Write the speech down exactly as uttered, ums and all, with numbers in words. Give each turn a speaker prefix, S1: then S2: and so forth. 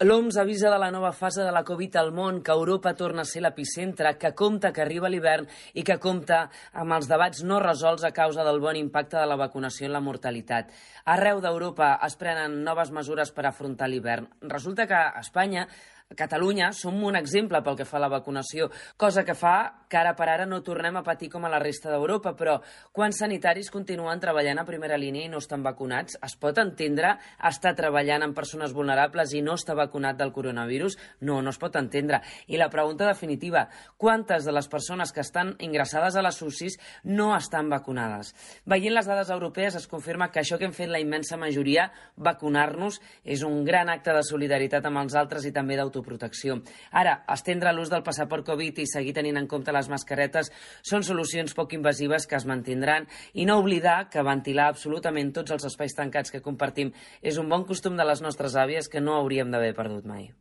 S1: L'O M S avisa de la nova fase de la Covid al món, que Europa torna a ser l'epicentre, que compta que arriba l'hivern i que compta amb els debats no resolts a causa del bon impacte de la vacunació en la mortalitat. Arreu d'Europa es prenen noves mesures per afrontar l'hivern. Resulta que a Espanya, a Catalunya, som un exemple pel que fa a la vacunació, cosa que fa que ara per ara no tornem a patir com a la resta d'Europa, però quan sanitaris continuen treballant a primera línia i no estan vacunats, es pot entendre estar treballant amb persones vulnerables i no estar vacunat del coronavirus? No, no es pot entendre. I la pregunta definitiva, quantes de les persones que estan ingressades a les U C Is no estan vacunades? Veient les dades europees es confirma que això que hem fet la immensa majoria, vacunar-nos, és un gran acte de solidaritat amb els altres i també d'autoprotecció. Ara, estendre l'ús del passaport Covid i seguir tenint en compte les mascaretes són solucions poc invasives que es mantindran i no oblidar que ventilar absolutament tots els espais tancats que compartim és un bon costum de les nostres àvies que no hauríem d'haver perdut mai.